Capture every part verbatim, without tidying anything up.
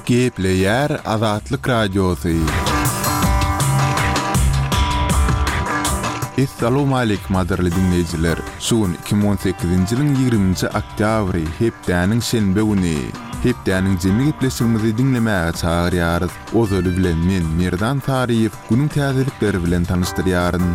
Gepleýär Azatlyk Radiosy. Essalawmaleýkim gadyrly diňleýjiler! Şu gün iki müň on sekizinji ýylyň ýigriminji oktýabry, hepdäniň şenbe güni. Hepdäniň jemi gepleşigimizi diňlemäge çagyrýarys. Ozaly bilen men, Merdan Saryýew, günüň täzelikleri bilen tanyşdyrýaryn.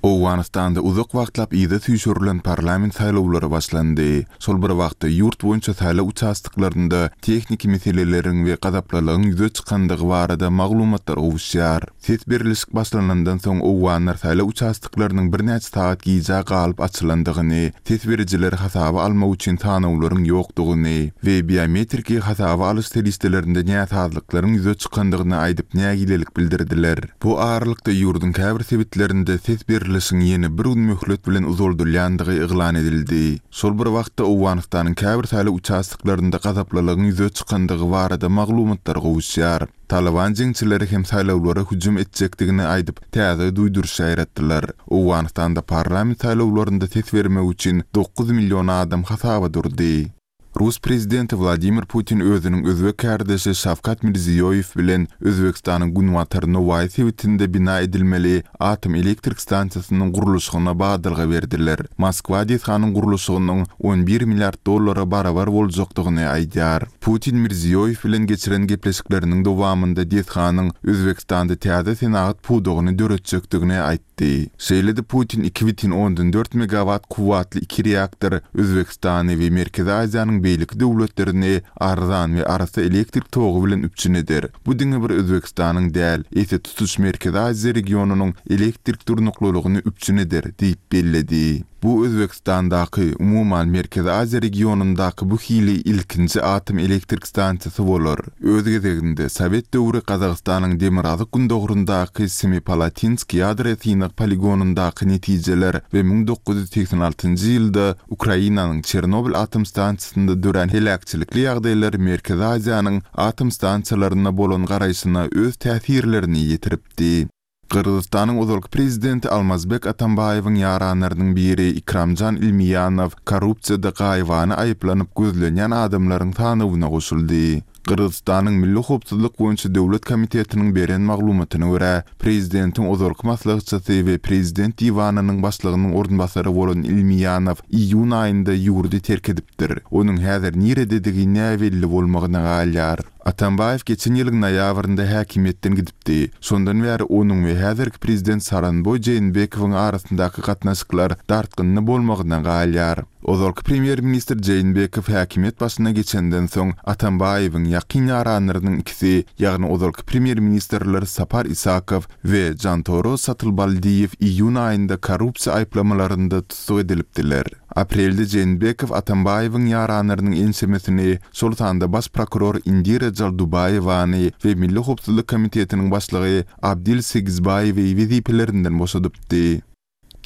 Owganystanda uzak wagtlap yza süýşürilen parlament saýlawlary başlandy. Şol bir wagtda, ýurt boýunça saýlaw uçastoklarynda tehniki meseleleriň we gazaplylygyň ýüze çykandygy barada maglumatlar gowuşýar. Ses berlişik başlanandan soň owganlar saýlaw uçastoklarynyň birnäçe sagat gijä galyp açylandygyny, ses berijileri hasaba almak üçin sanawlaryň ýokdugyny we biometriki hasaba alyş serişdelerinde näsazlyklaryň ýüze çykandygyny aýdyp nägilelik bildirdiler. Bu aralykda ýurduň käbir sebitlerinde ses berlişiň ýene bir gün möhlet bilen uzaldylýandygy yglan edildi. Şol bir wagtda Owganystanyň käbir saýlaw uçastoklarynda gazaplylygyň ýüze çykandygy barada maglumatlar gowuşýar. Talyban jeňçileri hem saýlawlara hüjüm etjekdigini aýdyp, täze duýduryş ýaýratdylar. Owganystanda parlament saýlawlarynda ses bermek üçin dokuz million adam hasaba durdy. Rus prezidenti Wladimir Putin özüniň özbek kärdeşi Şawkat Mirziýoýew bilen Özbegistanyň günbatar Nowaýy sebitinde bina edilmeli atom elektrik stansiýasynyň gurluşygyna badalga berdiler. Moskwa desganyň gurluşygynyň on bir milliard dollara barabar boljakdygyny aýdýar. Putin Mirziýoýew bilen geçiren gepleşikleriniň dowamynda desganyň Özbegistanda täze senagat pudagyny döretjekdigini aýtdy. Şeýle-de Putin iki bütin ondan dört megawatt kuwwatly iki reaktor Özbegistany we Merkezi Aziýanyň beýleki döwletlerini arzan we arassa elektrik togy bilen üpjün eder. Bu diňe bir Özbegistanyň däl, eýse tutuş Merkezi Aziýa regionynyň elektrik durnuklylygyny üpjün eder diýip belledi. Bu Özbegistandaky, umuman Merkezi Aziýa regionyndaky bu hili ilkinji atom elektrik stansiýasy bolar. Öz gezeginde Sowet döwri Gazagystanyň demirgazyk gündogaryndaky Semipalatinsk ýadro synag poligonyndaky netijeler we müň dokuz ýüz segsen altynjy ýylda Ukrainanyň Çernobil atom stansiýasynda dörän heläkçilikli ýagdaýlar Merkezi Aziýanyň atom stansiýalaryna bolan garaýşyna öz täsirlerini ýetiripdi. Gyrgyzystanyň ozalky prezidenti Almazbek Atambaýewiň ýaranlarynyň biri Ikramjan Ilmiýanow korrupsiýada gaýybana aýyplanyp gözlenýän adamlaryň sanawyna goşuldy. Gyrgyzystanyň Milli howpsuzlyk boýunça döwlet komitetiniň beren maglumatyna görä, prezidentiň ozalky maslahatçysy we prezident diwanynyň başlygynyň orunbasary bolan Ilmiýanow iýun aýynda ýurdy terk edipdir. Onuň häzir nirededigi näbelli bolmagyna galýar. Atambaýew geçen ýylyň noýabrynda häkimiýetden gidipdi. Şondan bäri onuň we häzirki prezident Sooronbaý Jeenbekowyň arasyndaky gatnaşyklar dartgynly bolmagyna galýar. Ozalky premýer-ministr Jeenbekow häkimiýet başyna geçenden soň Atambaýewiň ýakyn ýaranlarynyň ikisi, ýagny ozalky premýer-ministrler Sapar Isakow we Jantoro Satylbaldiýew iýun aýynda korrupsiýa aýyplamalarynda tussag edilipdiler. Aprelde Jeenbekow Atambaýewiň ýaranlarynyň ençemesini, şol sanda baş prokuror Indira Jaldubaýewany we Milli howpsuzlyk komitetiniň başlygy Abdil Segizbaýewi wezipelerinden boşadypdy.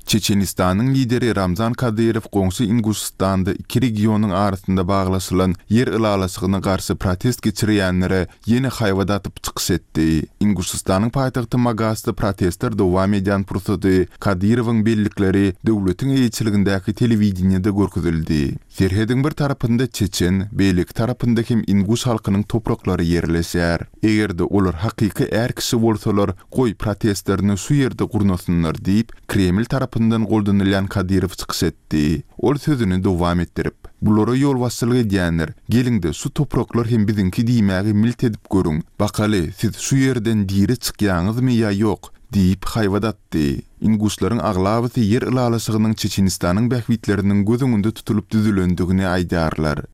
Çeçenistanyň lideri Ramzan Kadyrow goňşy Inguşystanda iki regionyň arasynda baglaşylan ýer ylalaşygyna garşy protest geçirýänlere ýene haýbat atyp çykyş etdi. Inguşystanyň paýtagty Magasda protestler dowam edýän pursady Kadyrowyň bellikleri döwletiň eýeçiligindäki telewideniýede görkezildi. Serhediň bir tarapynda çeçen, beýleki tarapynda hem inguş halkynyň topraklary ýerleşýär. Eger-de olar hakyky är kişi bolsalar, goý protestlerini şu ýerde gurnasynlar diýip, Kreml tarapyndan goldanylýan Kadyrow çykyş etdi. Ol sözüni dowam etdirip, bulara ýolbaşçylyk edýänler, geliň-de şu topraklar hem biziňki diýmäge milt edip görüň, bakaly siz şu ýerden diri çykýaňyzmy ýa ýok diýip haýbat atdy. Inguşlaryň aglabasy ýer ylalaşygynyň Çeçenistanyň bähbitleriniň göz öňünde tutulyp düzülendigini aýdýarlar.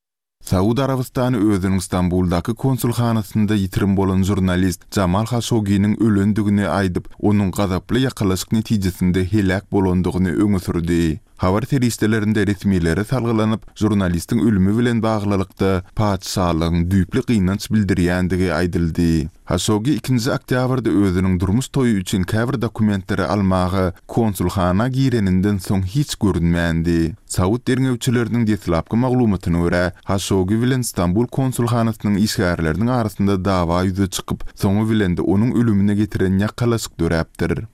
Saud Arabystany özüniň Stambuldaky konsulhanasynda ýitirim bolan žurnalist Jamal Haşoginiň ölendigini aýdyp, onuň gazaply ýakalaşyk netijesinde heläk bolandygyny öňe sürdi. Habar serişdelerinde resmilere salgylanyp, žurnalistiň ölümi bilen baglylykda patyşalygyň düýpli gynanç bildirýändigi aýdyldy. Haşogi ikinji oktýabrda özüniň durmuş toýy üçin käbir dokumentleri almaga konsulhana gireninden soň hiç görünmändi. Saud derňewçileriniň deslapky maglumatyna görä, Haşogi bilen Stambul konsulhanasynyň işgärleriniň arasynda dawa ýüze çykyp, soňy bilen-de onuň ölümine getiren ýakalaşyk döräpdir.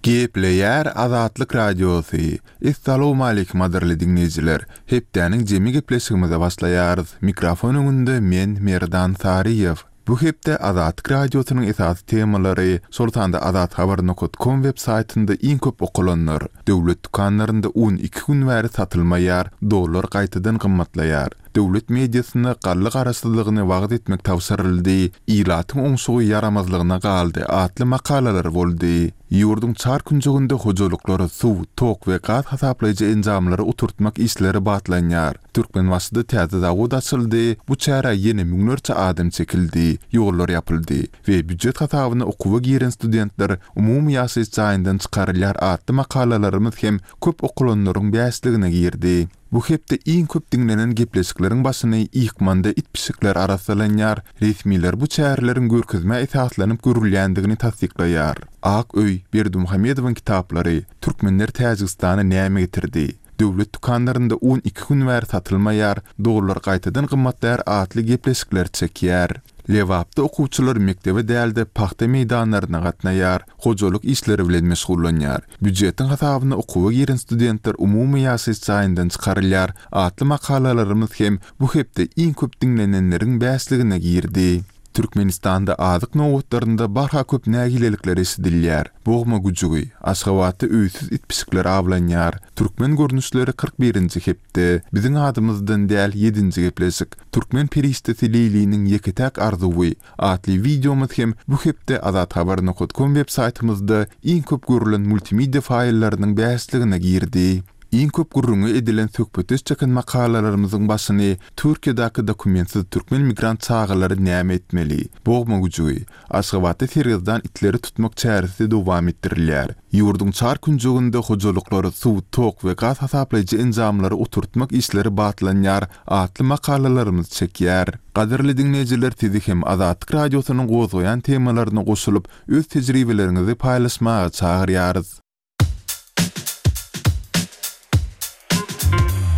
Gepleýär Azatlyk Radiosy. Essalawmaleýkim gadyrly diňleýjiler. Hepdäniň jemi gepleşigimize başlaýarys. Mikrofon öňünde men Merdan Saryýew. Bu hepde Azatlyk Radiosynyň esasy temalary, şol sanda azathabar nokat kom web saýtynda iň köp okalanlar, döwlet dükanlarynda un iki gün bäri satylmaýar, dollar gaýtadan gymmatlaýar, döwlet mediasyna galla garaşsyzlygyny wagyz etmek tabşyryldy, ilatyň oňşugy ýaramazlygyna galdy atly makalalar boldy. Ýurduň çar künjeginde hojalyklara suw, tok we gaz hasaplaýjy enjamlary oturtmak işleri batlanýar. Türkmenbaşyda täze zawod açyldy, bu çärä ýene müňlerçe adam çekildi, ýollar ýapyldy we býujet hasabyna okuwa giren studentler umumy ýaşaýyş jaýyndan çykarylýar atly makalalarymyz hem köp okalanlaryň bäşligine girdi. Bu hepde iň köp diňlenen gepleşikleriň başyny Ykmanda it-pişikler arassalanýar, resmiler bu çäreleriň görkezmä esaslanyp görülýändigini tassyklaýar. Ak öý, Berdimuhamedowyň kitaplary, Türkmenler Täjigistana näme getirdi? Döwlet dükanlarynda un iki gün bäri satylmaýar, dollar gaýtadan gymmatlaýar atly gepleşikler çekýär. Lebapda okuwçylar mekdebe däl-de, pagta meýdanlaryna gatnaýar, hojalyk işleri bilen meşgullanýar. Býujetiň hasabyna okuwa giren studentler umumy ýaşaýyş jaýyndan çykarylýar atly makalalarymyz hem bu hepde iň köp diňlenenleriň bäşligine girdi. Türkmenistanda azyk nobatlarynda barha köp nägilelikler eşidilýär. Bogma güjügi, Aşgabatda öýsüz it-pişikler awlanýar. Türkmen görnüşleri kyrk birinji hepde, Biziň adymyzdan däl ýedinji gepleşik, Türkmen perişdesi Leýliniň ýeke-täk arzuwy atly wideomyz hem bu hepde azathabar nokat kom web saýtymyzda iň köp görülen multimedia faýllarynyň bäşligine girdi. Iň köp gürrüňi edilen söhbetdeş çeken makalalarymyzyň başyny Türkiýedäki dokumentsiz türkmen migrant çagalary näme etmeli? Bogma güjügi, Aşgabatda sergezdan itleri tutmak çäresi dowam etdirilýär. Ýurduň çar künjeginde hojalyklara suw, tok we gaz hasaplaýjy enjamlary oturtmak işleri batlanýar atly makalalarymyz çekýär. Gadyrly diňleýjiler sizi hem Azatlyk Radiosynyň gozgaýan temalaryna goşulyp, öz tejribeleriňizi paýlaşmaga çagyrýarys.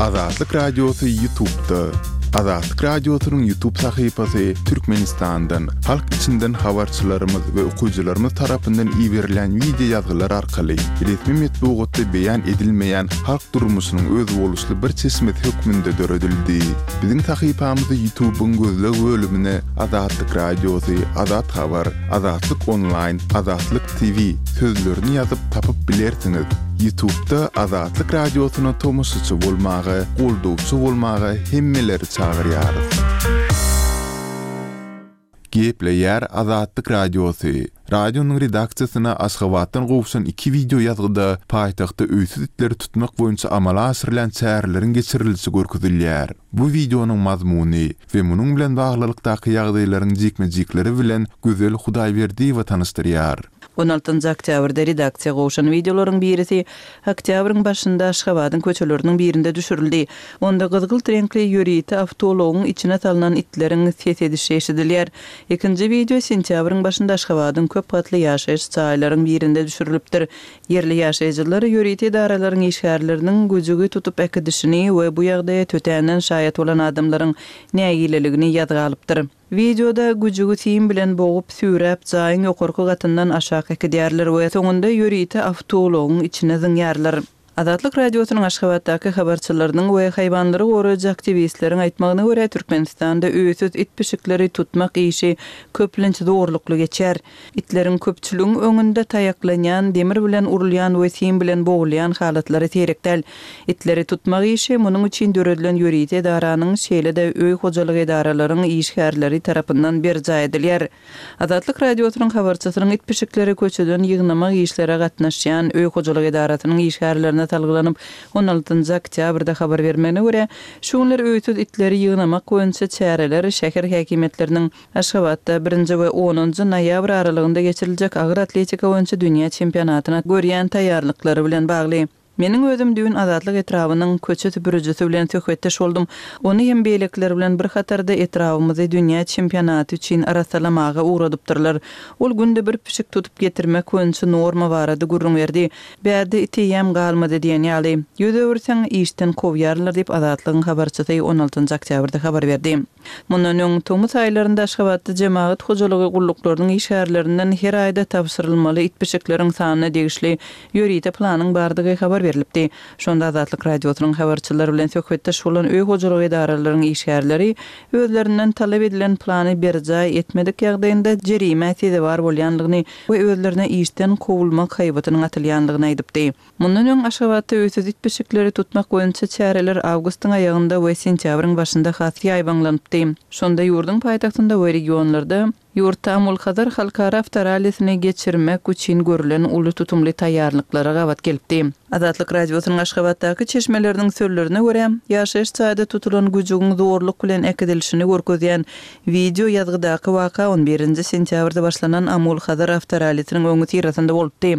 Azatlyk Radiosy YouTube'da. Azatlyk Radiosynyň YouTube sahypasy Türkmenistandan, halk içinden habarçylarymyz we okyjylarymyz tarapyndan iberilýän wideo ýazgylar arkaly resmi metbugatda beýan edilmeýän halk durmuşynyň özboluşly bir çeşmesi hökmünde döredildi. Biziň sahypamyzy YouTube'yň gözleg bölümine Azatlyk Radiosy, Azat Habar, Azatlyk Onlaýn, Azatlyk T V sözlerini ýazyp tapyp bilersiňiz. YouTube'da Azatlyk Radiosyna tomaşaçy bolmaga, goldawçy bolmaga hemmeleri çagyrýarys. Gepleýär Azatlyk Radiosy. Radionyň redaksiýasyna Aşgabatdan gowşan iki wideo ýazgyda paýtagtda öýsüz itleri tutmak boýunça amala aşyrylýan çäreleriň geçirilişi görkezilýär. Bu wideonyň mazmuny we munuň bilen baglylykdaky ýagdaýlaryň jikme-jikleri bilen Gözel Hudaýberdiýewa tanyşdyrýar. On altynjy oktýabrda redaksiýa gowşan wideolaryň birisi oktýabryň başynda Aşgabadyň köçeleriniň birinde düşürildi. Onda gyzgylt reňkli ýörite awtoulagyň içine salnan itleriň ses edişi eşidilýär. Ikinji wideo sentýabryň başynda Aşgabadyň köp gatly ýaşaýyş jaýlaryň birinde düşürilipdir. Ýerli ýaşaýjylar ýörite edaralaryň işgärleriniň güjügi tutup äkidişini we bu ýagdaýa tötänden şaýat bolan adamlaryň nägileligini ýazga alypdyr. Wideoda güjügi sim bilen bogup, süýräp, jaýyň ýokarky gatyndan aşak äkidýärler we soňunda ýörite awtoulagyň içine zyňýarlar. Azatlyk Radiosynyň Aşgabatdaky habarçylarynyň we haýwanlary goraýjy aktiwistleriň aýtmagyna görä, Türkmenistanda öýsüz it-pişikleri tutmak işi köplenç zorlukly geçýär. Itleriň köpçüligiň öňünde taýaklanýan, demir bilen urulýan we sim bilen bogulýan halatlary seýrek däl. Itleri tutmak işi munuň üçin döredilen ýörite edaranyň, şeýle-de öý hojalyk edaralaryň işgärleri tarapyndan berjaý edilýär. Azatlyk Radiosynyň habarçysynyň it-pişikleri köçeden ýygnamak işlere gatnaşýan öý hojalyk edarasynyň işgärlerine salgylanyp, on altynjy oktýabrda habar bermegine görä, şu günler öýsüz itleri ýygnamak boýunça çäreler şäher häkimiýetleriniň Aşgabatda birinji we onunjy noýabr aralygynda geçiriljek agyr atletika boýunça dünýä çempionatyna görýän taýýarlyklary bilen bagly. Meniň özüm düýn Azatlyk etrabynyň köçe süpürijisi bilen söhbetdeş boldum. Ony hem beýlekiler bilen bir hatarda etrabymyzy dünýä çempionaty üçin arassalamaga ugradypdyrlar. Ol günde bir pişik tutup getirmek boýunça norma barada gürrüň berdi. Bärde it eýýäm galmady diýen ýaly. Ýüz öwürseň işden kowýarlar diýip Azatlygyň habarçysy on altynjy oktýabrda habar berdi. Mundan öň tomus aýlarynda Aşgabatda jemagat hojalygy gulluklarynyň işgärlerinden her aýda tabşyrylmaly it pişikleriň sanyna degişli ýörite planyň bardygy habar berilipdi. Şonda Azatlyk Radiosynyň habarçylary bilen söhbetdeş bolan öý hojalygy edaralaryň işgärleri özlerinden talap edilen plany berjaý etmedik ýagdaýynda jerimä sezewar bolýanlygyny we özlerine işden kowulmak haýbatynyň atylýanlygyny aýdypdy. Mundan öň Aşgabatda öýsüz it pişikleri tutmak boýunça çäreler awgustyň aýagynda we sentýabryň başynda has ýaýbaňlanypdy. Şonda ýurduň paýtagtynda we regionlarda ýurtda Amul-Hazar halkara awtorallisini geçirmek üçin görülen uly tutumly taýýarlyklara gabat gelipdi. Azatlyk Radiosynyň Aşgabatdaky çeşmeleriniň sözlerine görä, ýaşaýyş jaýda tutulan güjügiň zorluk bilen äkidilişini görkezýän wideo ýazgydaky waka on birinji sentýabrda başlanan Amul-Hazar awtorallisiniň öňüsyrasynda bolupdy.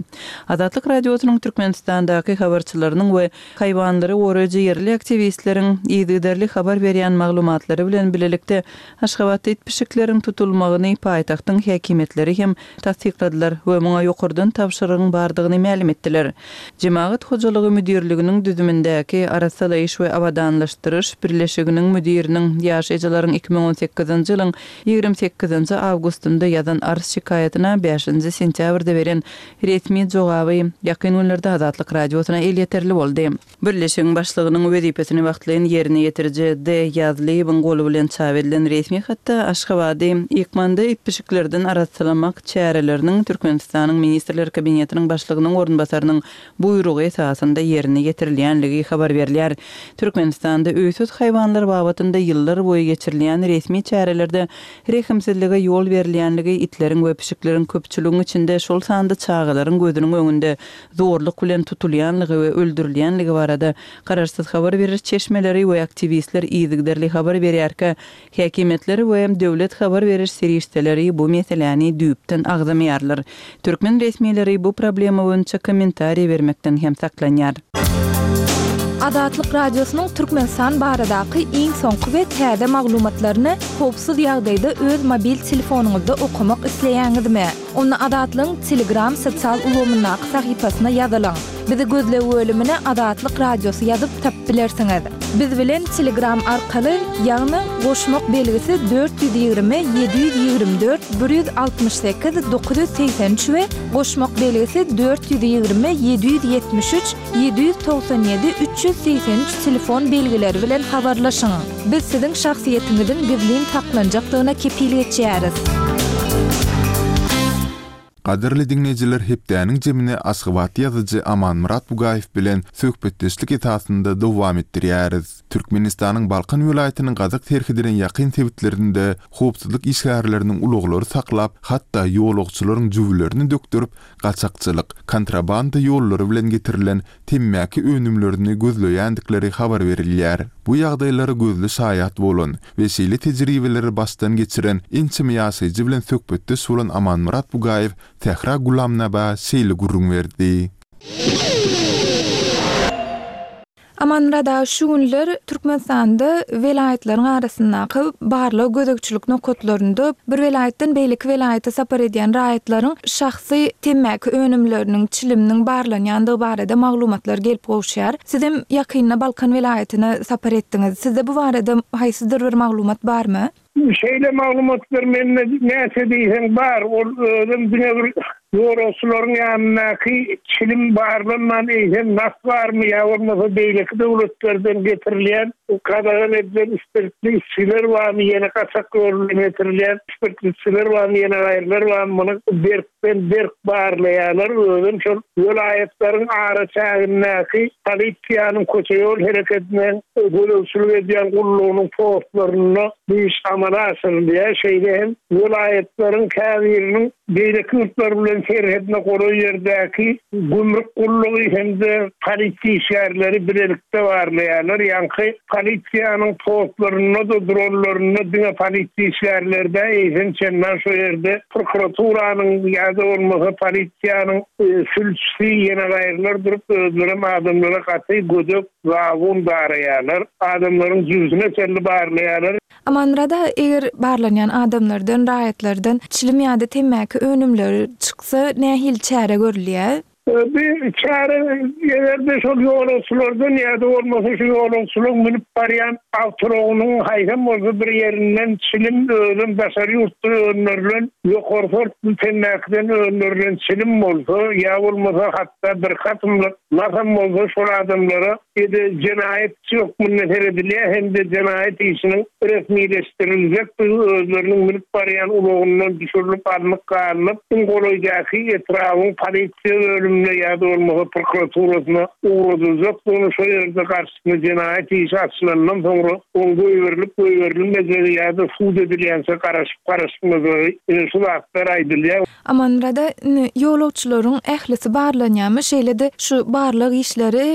Azatlyk Radiosynyň Türkmenistandaky habarçylarynyň we haýwanlary goraýjy ýerli aktiwistleriň yzygiderli habar berýän maglumatlary bilen bilelikde Aşgabatda it pişikleriň tutulmagyny paýtagtyň häkimiýetleri hem tassykladylar we muňa ýokardan tabşyrygyň bardygyny mälim etdiler. Jemagat hojalygy müdirliginiň düzümindäki arassalaýyş we abadanlaşdyryş birleşiginiň müdiriniň ýaşaýjylaryň iki müň on sekizinji ýylyň ýigrimi sekizinji awgustynda ýazan arz şikaýatyna bäşinji sentýabrda beren resmi jogaby ýakyn günlerde Azatlyk Radiosyna elýeterli boldy. Birleşigiň başlygynyň wezipesini wagtlaýyn ýerine ýetiriji D. Ýazlyýewiň goly bilen çap edilen resmi hatda Aşgabady ýykmanda it pişiklerden arassalamak çäreleriniň Türkmenistanyň Ministrler Kabinetiniň başlygynyň orunbasarynyň buýrugy esasynda ýerine ýetirilýänligi habar berilýär. Türkmenistanda öýsüz haýwanlar babatynda ýyllar boýy geçirilýän resmi çärelerde rehimsizlige ýol berilýänligi itleriň we pişikleriň köpçüligiň içinde şol sanda çagalaryň gözüniň öňünde zorluk bilen tutulýanlygy we öldürilýänligi barada garaşsyz habar beriş çeşmeleri we aktiwistler yzygiderli habar berýärkä, häkimiýetler we döwlet habar beriş serişdeleri bu meseläni düýpden agzamaýarlar. Türkmen resmileri bu problema boýunça kommentariý bermekden hem saklanýar. Azatlyk Radiosynyň Türkmenistan baradaky iň soňky we täze maglumatlaryny howpsuz ýagdaýda öz mobil telefonyňyzda okamak isleýäňizmi? Onda Azatlygyň Telegram sosial ulgamyndaky sahypasyna ýazylyň. Bizi gözleg bölümine Azatlyk Radiosy ýazyp tapyp bilersiňiz. Biz bilen Telegram arkaly, ýagny goşmak belgisi dört ýüz ýigrimi, ýedi ýüz ýigrimi dört, bir ýüz altmyş sekiz, dokuz ýüz segsen üç we goşmak belgisi dört ýüz ýigrimi, ýedi ýüz ýetmiş üç, ýedi ýüz togsan ýedi, üç ýüz segsen üç telefon belgileri bilen habarlaşyň. Biz siziň şahsyýetiňiziň gizlin saklanjakdygyna kepil geçýäris. Gadyrly diňleýjiler, hepdäniň jemini Aşgabat ýazyjy Amanmyrat Bugaýew bilen söhbetdeşlik esasynda dowam etdirýäris. Türkmenistanyň Balkan welaýatynyň Gazak serhedine ýakyn sebitlerinde howpsuzlyk işgärleriniň ulaglary saklap, hatda ýolagçylaryň jübülerini dökdürip, gaçakçylyk, kontrabanda ýollary bilen getirilen temmäki önümlerini gözleýändikleri habar berilýär. Bu ýagdaýlara gözli şaýat bolan we şeýle tejribeleri başdan geçiren ençeme ýaşaýjy bilen söhbetdeş bolan Amanmyrat Bugaýew Sähra Gulamnaba şeýle gürrüň berdi. Amanmyrat aga, şu günler Türkmenistanda welaýatlaryň arasyndaky barlag gözegçilik nokatlarynda bir welaýatdan beýleki welaýata sapar edýän raýatlaryň şahsy temmäki önümleriniň, çiliminiň barlanýandygy barada maglumatlar gelip gowuşýar. Siz hem ýakynda Balkan welaýatyna sapar etdiňiz. Sizde bu barada haýsydyr bir maglumat barmy? Şeýle maglumatlar mende näçe diýseň bar. Ol özüm diňe bir ýolagçylaryň ýanyndaky çilim barlanman eýsem nas barmy ýa bolmasa beýleki döwletlerden getirilýän gadagan edilen spirtli içgiler barmy, ýene gaçak ýol bilen getirilýän spirtli içgiler barmy, ýene gaýrylar barmy, muny berkden berk barlaýarlar. Özüm şol welaýatlaryň araçägindäki polisiýanyň köçe ýol hereketine gözegçilik edýän gullugynyň postlarynda bu iş amala aşyrylýar. Şeýle hem welaýatlaryň käbiriniň beýleki ýurtlar bilen serhedine golaý ýerdäki gümrük gullugy hem-de polisiýa işgärleri bilelikde barlaýarlar. Ýaňky Polisiýanyň postlarynda-da duranlarynda diňe polisiýa işgärleri däl, eýsem çendan şo ýerde prokuraturanyň ýa-da bolmasa polisiýanyň sülçüsi ýene gaýrylar durup özlerem adamlara gaty gödek zabun daraýarlar. Adamlaryň jübüsine çenli barlaýarlar. Amanmyrat aga, eger barlanýan adamlardan, raýatlardan çilim ýa-da temmäki önümleri çyksa nähili çäre görülýär? Bir çäre eger-de şol ýolagçylardan ýa-da bolmasa şu ýolagçylaryň münüp barýan awtoulagynyň haýsam bolsa bir ýerinden çilim özem daşary ýurtda öndürilen ýokary sortly temmäkiden öndürilen çilim bolsa ýa bolmasa hatda bir katymlyk nasam bolsa şol adamlara ýa-da jenaýatçy hökmünde seredilýär hem-de jenaýat işiniň resmileşdiriljekdigi özleriniň münüp barýan ulagyndan düşürilip alnyp galynyp iň golaýdaky etrabyň polisiýa bölümine ýa-da bolmasa prokuraturasyna ugradyljakdygyny şo ýerde garşysyna jenaýat işi açylandan soňra oň goýberilip goýberilmejegi ýa-da sud edilýänçe garaşyp garaşmajagy ine şu zatlar aýdylýar. Amanmyrat aga, indi ýolagçylaryň ählisi barlanýarmy? Şeýle-de şu barlag işleri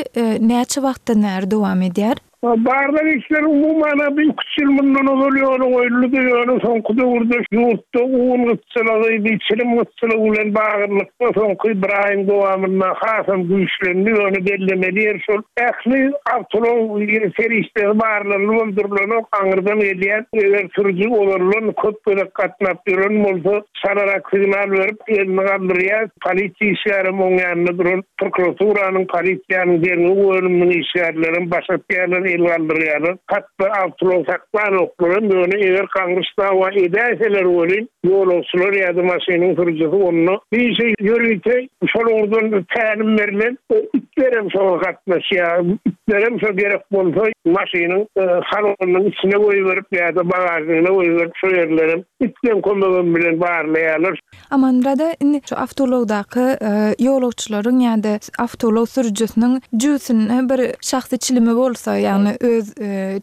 näçe wagtdan bäri dowam edýär? Barlag işleri umuman bir iki üç ýyl mundan ozal ýola goýuldy, ýöne soňky döwürde ýurtda un gytçylygy, bir çilim gytçylygy bilen baglylykda soňky bir aýyň dowamynda hasam güýçlendi. Ýöne bellemeli ýer şol ähli awtoulag serişdesi barlanyp durulanok, aňyrdan gelýän eger sürüji ozaldan köp gezek gatnap ýören bolsa, çalarak signal berip elini galdyrýar. Polisiýa işgärem oň ýanynda duran prokuraturanyň, polisiýanyň derňew bölüminiň işgärlerem baş atýarlar, el galdyrýarlar. Hatda awtoulag saklanoklar hem, ýöne eger gaňryş dawa edäýseler welin, ýolagçylar ýa-da maşynyň sürüjisi onda bir şey ýörite şol ugurdan tälim berlen itlerem şoňa gatnaşýar. Itlerem şo gerek bolsa maşynyň salonynyň içine goýberip ýa-da bagažyna goýberip şo ýerlerem itleň kömegi bilen barlaýarlar. Amanmyrat aga, indi şu awtoulagdaky ýolagçylaryň ýa-da awtoulag sürüjisiniň jübüsinde bir şahsy çilimi bolsa, ýagny öz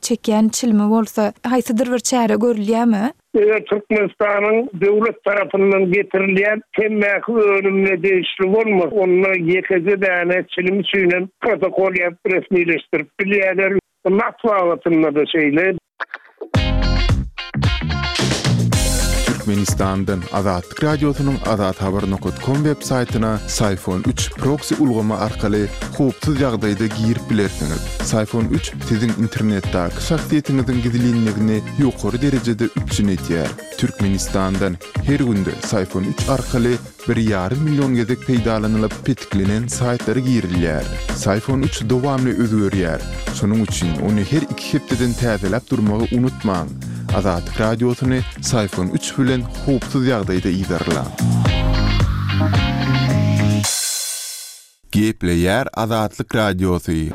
çekýän çilimi bolsa, haýsydyr bir çäre görülýärmi? Eger Türkmenistanyň döwlet tarapyndan getirilýän temmäki önümine degişli bolmasa, onda ýekeje däne çilim üçinem protokol ýazyp resmileşdirip bilýärler. Nas babatynda-da şeýle. Türkmenistandan Azatlyk Radiosynyň azathabar nokta com web saýtyna Syfon üç proksi ulgamy arkaly howpsuz ýagdaýda girip bilersiňiz. Syfon üç siziň internetdäki şahsyýetiňiziň gizlinligini ýokary derejede üpjün edýär. Türkmenistandan her günde Syfon üç arkaly bir ýarym million gezek peýdalanylyp petiklenen saýtlara girilýär. Syfon üç dowamly özgerýär. Şonuň üçin ony her iki hepdeden täzeläp durmagy unutmaň. Azatlyk Radiosyny Syfon üç bilen howpsuz ýagdaýda yzarlaň. Gepleýär Azatlyk Radiosy.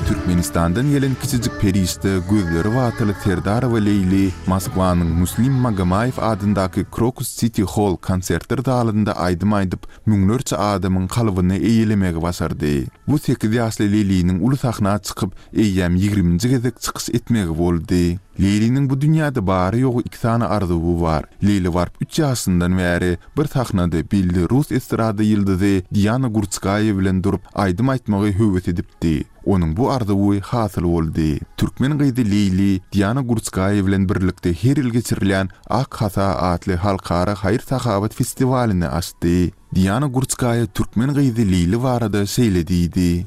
Türkmenistandan gelen kiçijik perişde gözleri batyly Serdarowa Leýli Moskwanyň Muslim Magomaýew adyndaky Krokus City Hall konsertler zalynda aýdym aýdyp, müňlerçe adamyň kalbyny eýelemegi başardy. Bu sekiz ýaşly Leýliniň uly sahna çykyp, eýýäm ýigriminji gezek çykyş etmegi boldy. Leýliniň bu dünýäde bary ýogy iki sany arzuwy bar. Leýli baryp üç ýaşyndan bäri bir sahnada belli rus estrada ýyldyzy Diana Gurtskaýa bilen durup aýdym aýtmagy höwes edipdi. Onuň bu arzuwy hasyl boldy. Türkmen gyzy Leýli Diana Gurtskaýa bilen birlikde her ýyl geçirilýän Ak Hasa atly halkara haýyr-sahawat festiwalyny açdy. Diana Gurtskaýa türkmen gyzy Leýli barada şeýle diýdi.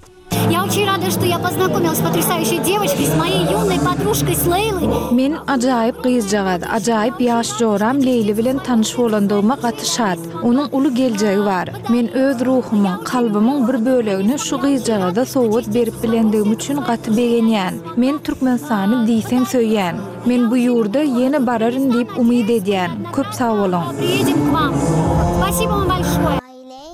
Я очень рада, что я познакомилась с потрясающей девочкой, с моей юной подружкой с Лейлой. Men ajaýyp gyzjagaz, ajaýyp ýaş joram Leýli bilen tanyş bolandygyma gaty şat. Onuň uly geljegi bar. Men öz ruhumyň, kalbymyň bir bölegini şu gyzjagaza sowgat berip bilendigim üçin gaty begenýän. Men Türkmenistany diýseň söýýän. Men bu ýurda ýene bararyn diýip umyt edýän. Köp sag boluň. Приедем к вам. Спасибо вам большое.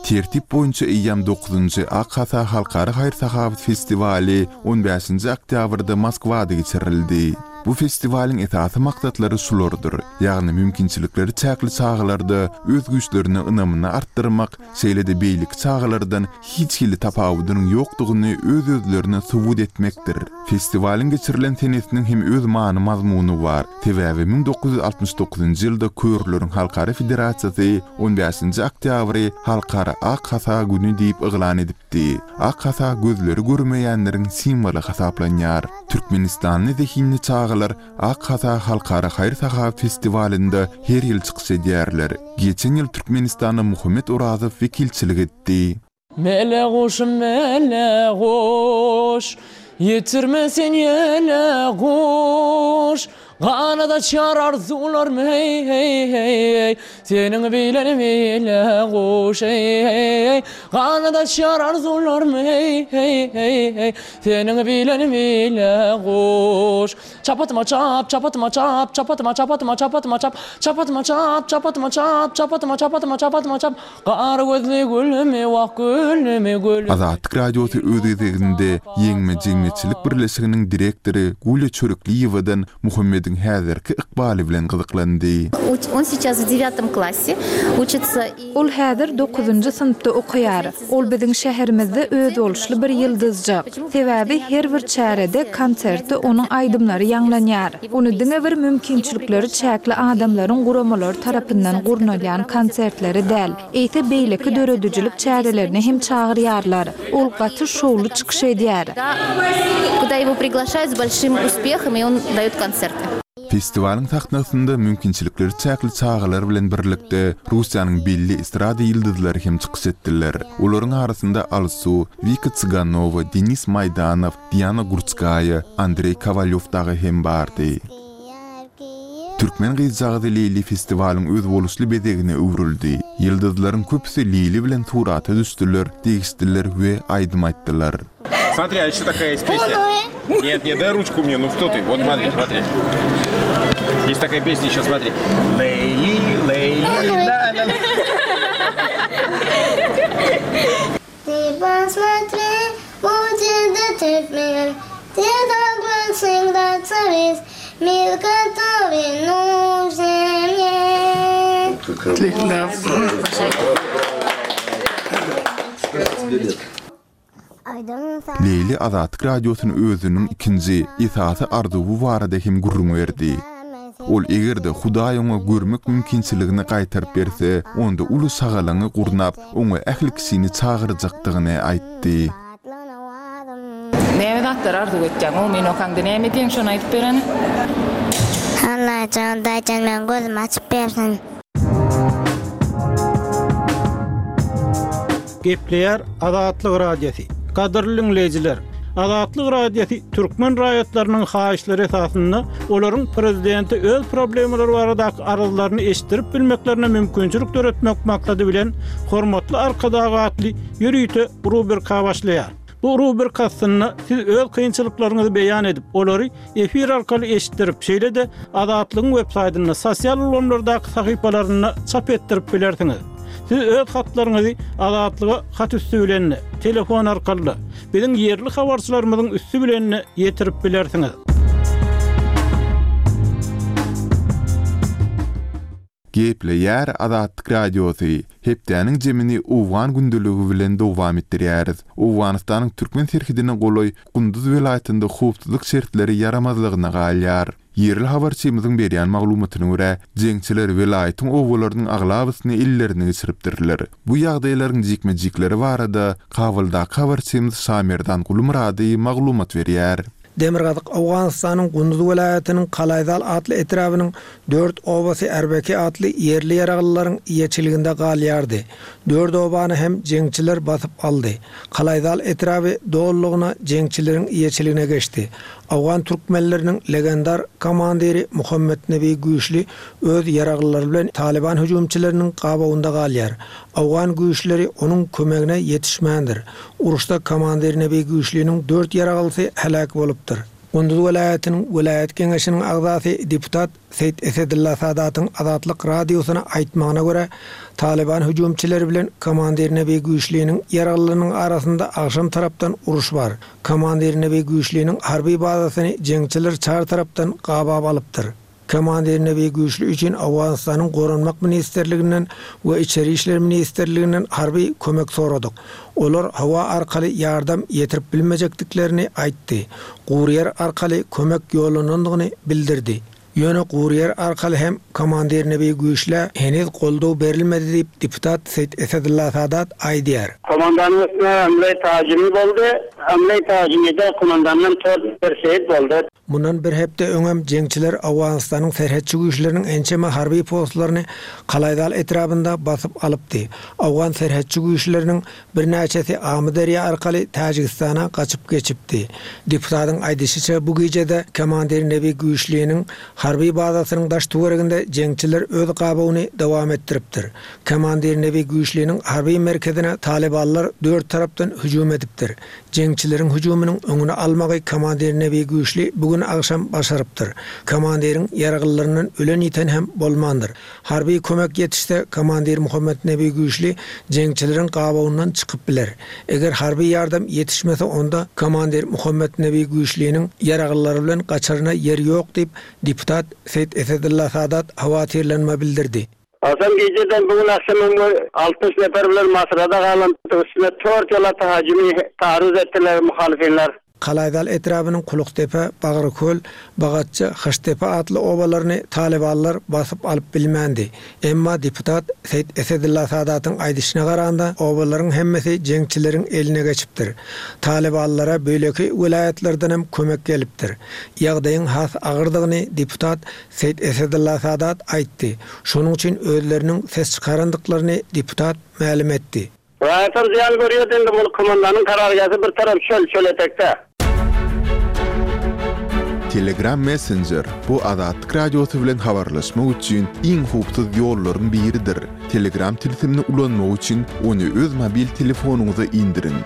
Tertip boýunça eýýäm dokuzynjy Ak Hasa halkara haýyr-sahawat festiwaly on bäşinji oktýabrda Moskwada geçirildi. Bu festiwalyň esasy maksatlary şulardyr, ýagny mümkinçilikleri çäkli çagalarda öz güýçlerine ynamyny artdyrmak, şeýle-de beýleki çagalardan hiç hili tapawudynyň ýokdugyny öz-özlerine subut etmekdir. Festiwalyň geçirilen senesiniň hem öz many-mazmuny bar. Sebäbi müň dokuz ýüz altmyş dokuzynjy ýylda Körleriň Halkara Federasiýasy on bäşinji oktýabry Halkara Ak hasa güni diýip yglan edipdi. Ak hasa gözleri görmeýänleriň simwoly hasaplanýar. Türkmenistanly zehinli çagalar Ak hasa Halkara haýyr-sahawat festiwalynda her ýyl çykyş edýärler. Geçen ýyl Türkmenistana Muhammet Orazow wekilçilik etdi. Mele guşum, mele guş, ýetirme sen ýele guş. Ganat açar arzuwlarym, hey, hey, hey, hey. Seniň bilen mele guş, hey, hey, hey. Ganat açar arzuwlarym, hey, hey, hey, hey. Seniň bilen mele guş. Çapatyma çap, çapatyma çap, çapatyma, çapatyma, çapatyma çap, çapatyma çap, çapatyma çap, çapatyma, çapatyma, çapatyma çap. Gar gözli gülümi, wah gülümi, gülümi. Azatlyk Radiosy öz gezeginde Ýeňme jemgyýetçilik birleşiginiň direktory Gulýa Çörekliýewadan Muhammediň häzirki ykbaly bilen gyzyklandy. On сейчас в девятом классе учится и Ol häzir dokuzynjy synpda okaýar. Ol biziň şäherimizde özboluşly bir ýyldyzjak. Sebäbi her bir çärede, konsertde onuň aýdymlary ýaňlanýar. Ony diňe bir mümkinçilikleri çäkli adamlaryň guramalary tarapyndan gurnalýan konsertleri däl, eýse beýleki döredijilik çärelerini hem çagyrýarlar. Ol gaty şowly çykyş edýär. Куда его приглашают с большим успехом, и он дает концерты. Festiwalyň sahnasynda mümkinçilikleri çäkli çagalar bilen birlikde Russiýanyň belli estrada ýyldyzlary hem çykyş etdiler. Olaryň arasynda Alsu, Wika Tsiganowa, Denis Maýdanow, Diana Gurtskaýa, Andrey Kovalyev dagy hem bardy. Türkmen gyzjagazy Leýli festiwalyň özboluşly bezegine öwrüldi. Ýyldyzlaryň köpüsi Leýli bilen surata düşdüler, degişdiler we aýdym aýtdylar. Смотри, а еще такая есть песня. Нет, нет, дай ручку мне, ну что ты? Вот смотри, смотри. Есть такая песня еще, смотри. Лейли, Лейли, ла, ла, ла. Ты посмотри, будет этот мир, ты должен всегда царить, мир, который нужен мне. Отлично. Leýli Azatlyk Radiosyny özüniň ikinji esasy arzuwy barada hem gürrüň berdi. Ol eger-de Hudaý oňa görmek mümkinçiligini gaýtaryp berse, onda uly şagalaňy gurnap, oňa ähli kişini çagyrjakdygyny aýtdy. Näme zatlar arzuw etýäň? O men okaňda näme diýen şony aýdyp bereni? Allajan, daýjan men gözümi açyp bersin. Gepleýär Azatlyk Radiosy. Gadyrly dinleýjiler, Azatlyk Radiosy türkmen raýatlarynyň haýyşlary esasynda olaryň prezidenti öz problemalary baradaky arzlaryny eşitdirip bilmeklerine mümkinçilik döretmek maksady bilen hormatly Arkadag atly ýörite rubrika başlaýar. Bu rubrika aslynda siz öz kynçylyklaryňyzy beýan edip, olary efir arkaly eşitdirip, şeýle-de Azatlygyň web saýtynda, sosial ulgamlardaky sahypalarynda çap etdirip bilersiňiz. Siz öz hatlaryňyzy Azatlyga hat üstü bilen, telefon arkaly, biziň ýerli habarçylarymyzyň üstü bilen ýetirip bilersiňiz. Gepleýär Azatlyk Radiosy. Hepdäniň jemini Owgan gündeligi bilen dowam etdirýäris. Owganystanyň türkmen serhedine golaý Gunduz welaýatynda howpsuzlyk şertleri ýaramazlygyna galýar. Ýerli habarçymyzyň berýän maglumatyna görä, jeňçiler welaýatyň owalarynyň aglabasyny ellerine geçiripdirler. Bu ýagdaýlaryň jikme-jikleri barada Kabuldaky habarçymyz Şamerdan Gulmurady maglumat berýär. Demirgazyk Owganystanyň Gunduz welaýatynyň Kalaýzal atly etrabynyň dört obasy Erbeki atly ýerli ýaraglylaryň eýeçiliginde galýardy. Dört obany hem jeňçiler basyp aldy. Kalaýzal etraby dollugyna jeňçileriň eýeçiligine geçdi. Owgan türkmenleriniň legendar komandiri Muhammet Nebi Güýçli öz ýaraglylary bilen Taliban hüjümçileriniň gabawynda galýar. Owgan güýçleri onuň kömegine ýetişmändir. Uruşda komandir Nebi Güýçliniň dört ýaraglysy heläk bolupdyr. Gunduz welaýatynyň welaýat geňeşiniň agzasy deputat Seýit Esedylla Sadatyň Azatlyk Radiosyna aýtmagyna görä, Talyban hüjümçileri bilen komandir Nebi Güýçliniň ýaraglylarynyň arasynda agşam tarapdan uruş bar. Komandir Nebi Güýçliniň harby bazasyny jeňçiler çar tarapdan gabap alypdyr. Komandir Nebi Güýçli üçin Owganystanyň Goranmak ministrliginden we Içeri işler ministrliginden harby kömek soradyk. Olar howa arkaly ýardam ýetirip bilmejekdiklerini aýtdy. Gury ýer arkaly kömek ýollanandygyny bildirdi. Ýöne gury ýer arkaly hem komandir Nebi Güýçlä heniz goldaw berilmedi diýip, deputat Seýit Esedylla Sadat aýdýar. Komandanyň üstüne Amlay Tacimi boldy. Amlay Tacimi'de komandandan dört bir şehit boldy. Mundan bir hepde öňem jeňçiler Owganystanyň serhetçi güýçleriniň ençeme harby postlaryny Kalaýzal etrabynda basyp alypdy. Owgan serhetçi güýçleriniň birnäçesi Amyderýa arkaly Täjigistana gaçyp geçipdi. Deputatyň aýdyşyça, bu gijede komandir Nebi Güýçliniň harby bazasynyň daş töwereginde jeňçiler öz gabawyny dowam etdiripdir. Komandir Nebi Güýçliniň harby merkezine Talybanlar dört tarapdan hüjüm edipdir. Jeňçileriň hüjüminiň öňüni almagy komandir Nebi Güýçli bugün agşam başarypdyr. Komandiriň ýaraglylaryndan ölen ýiten hem bolmandyr. Harby kömek ýetişse komandir Muhammed Nebi Güýçli jeňçileriň gabawyndan çykyp biler. Eger harby ýardam ýetişmese onda komandir Muhammed Nebi Güýçliniň ýaraglylary bilen gaçaryna ýer ýok diýip deputat Seýit Esedylla Sadat hawatirlenme bildirdi. Hasan geceden bugün akşam altmyş nefer bilen Masrada galan üstüne dört ýola tahacimi taarruz etdiler muhalifinler. Kalaýzal etrabynyň Kuluktepe, Bagyrköl, Bagatça, Hyştepe atly obalaryny Talybanlar basyp alyp bilmändi. Emma deputat Seýit Esedylla Sadatyň aýdyşyna garanda obalaryň hemmesi jeňçileriň eline geçipdir. Talybanlara beýleki welaýatlardan hem kömek gelipdir. Ýagdaýyň has agyrdygyny deputat Seýit Esedylla Sadat aýtdy. Şonuň üçin özleriniň ses çykarandyklaryny deputat mälim etdi. Raýatlar zyýan görýär indi bu komandanyň karargähi bir tarap çöl, çöl etekde. Telegram Messenger bu Azatlyk Radiosy bilen habarlaşmak üçin iň howpsuz ýollaryň biridir. Telegram tilsimini ulanmak üçin ony öz mobil telefonyňyza indiriň.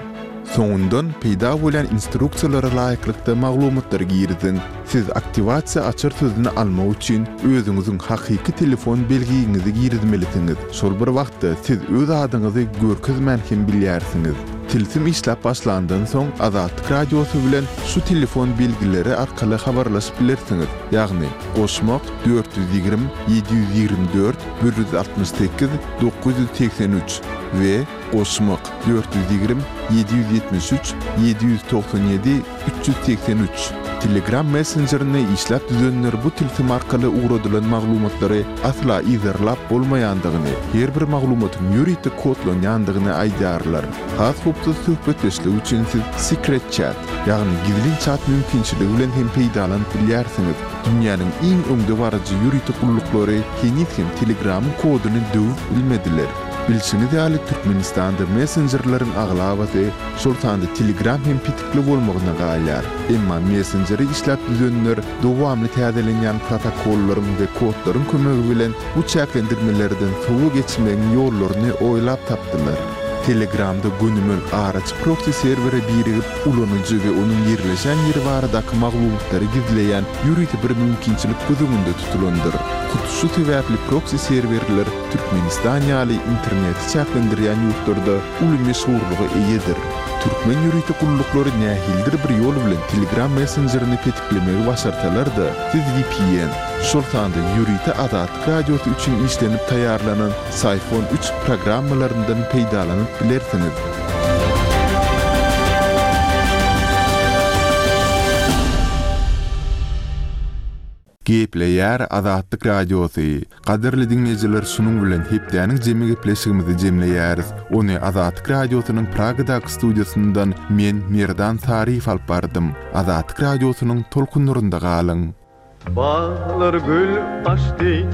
Soňundan peýda bolan instruksiýalara laýyklykda maglumatlary giriziň. Siz aktiwasiýa açar sözüni almak üçin özüňiziň hakyky telefon belgiňizi girizmelisiňiz. Şol bir wagtda siz öz adyňyzy görkezmän hem bilýärsiňiz. Tilsim işläp başlandan soň Azatlyk Radiosy bilen şu telefon belgileri arkaly habarlaşyp bilersiňiz. Ýagny goşmak dört ýüz ýigrimi, ýedi ýüz ýigrimi dört, bir ýüz altmyş sekiz, dokuz ýüz segsen üç we goşmak dört ýüz ýigrimi, ýedi ýüz ýetmiş üç, ýedi ýüz togsan ýedi, üç ýüz segsen üç. Telegram messenjerini işläp düzenler bu tilsim arkaly ugradylan maglumatlary asla yzarlap bolmaýandygyny, her bir maglumatyň ýörite kodlanýandygyny aýdýarlar. Has howpsuz söhbetdeşlik üçin siz Secret Chat, ýagny gizlin chat mümkinçiligi bilen hem peýdalanyp bilýärsiňiz. Dünýäniň iň öňdebaryjy ýörite gulluklary heniz hem Telegramyň koduny döwüp bilmediler. Bilşiňiz ýaly Türkmenistanda messenjerleriň aglabasy, şol sanda Telegram hem petikli bolmagyna galýar. Emma messenjeri işläp düzenler dowamly täzelenýän protokollaryň we kodlaryň kömegi bilen bu çäklendirmelerden sowa geçmegiň ýollaryny oýlap tapdylar. Telegramda gönümel araçy proxy serwere birigip, ulanyjy we onuň ýerleşen ýeri baradaky maglumatlary gizleýän ýörite bir mümkinçilik göz öňünde tutulandyr. Hut şu sebäpli proxy serwerler Türkmenistan ýaly interneti çäklendirýän ýurtlarda uly meşhurlyga eýedir. Türkmen ýörite gulluklary nähilidir bir ýol bilen Telegram messenjerini petiklemegi başarsalar-da, siz V P N, şol sanda ýörite Azatlyk Radiosy üçin işlenip taýýarlanan Syphon üç programmalaryndan peýdalanyp bilersiňiz. Gepleýär Azatlyk Radiosy. Gadyrly dinleýjiler, şunuň bilen hepdäniň jemi gepleşigimizi jemleýäris. Ony Azatlyk Radiosynyň Pragadaky studiýasyndan men Merdan Saryýew alyp bardym. Azatlyk Radiosynyň tolkunlarynda galyň. Bağlar gül açdy,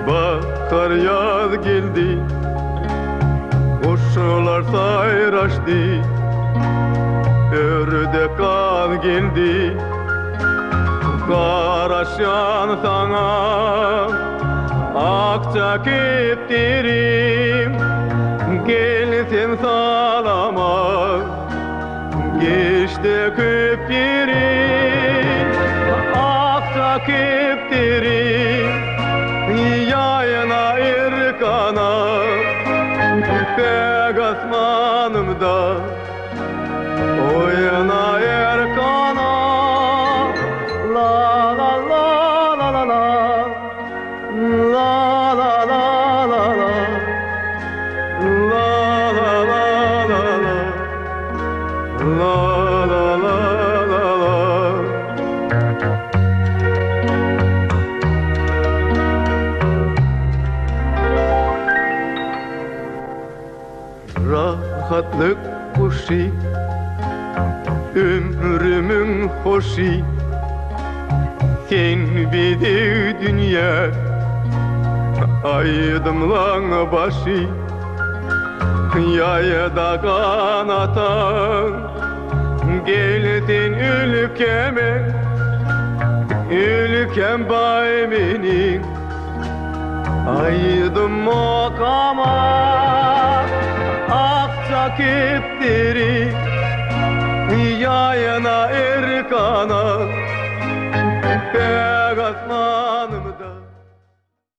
bahar ýaz geldi, guşlar saýraşdy, ördek gaz geldi. Garaşan sana akça keptirim, gel sen salama, geçti köp yerim. Ýaýda oýna erkana La la la la la la La la la la la La la la la la La la la la la Rahatlyk guşy Ömrümiň hoşy Sen bedew dünýä Aýdymlaň başy Ýaýda ganataň Gel sen ülkeme Ülkem baý meniň Aýdym okama Akja kepderi Ýaýna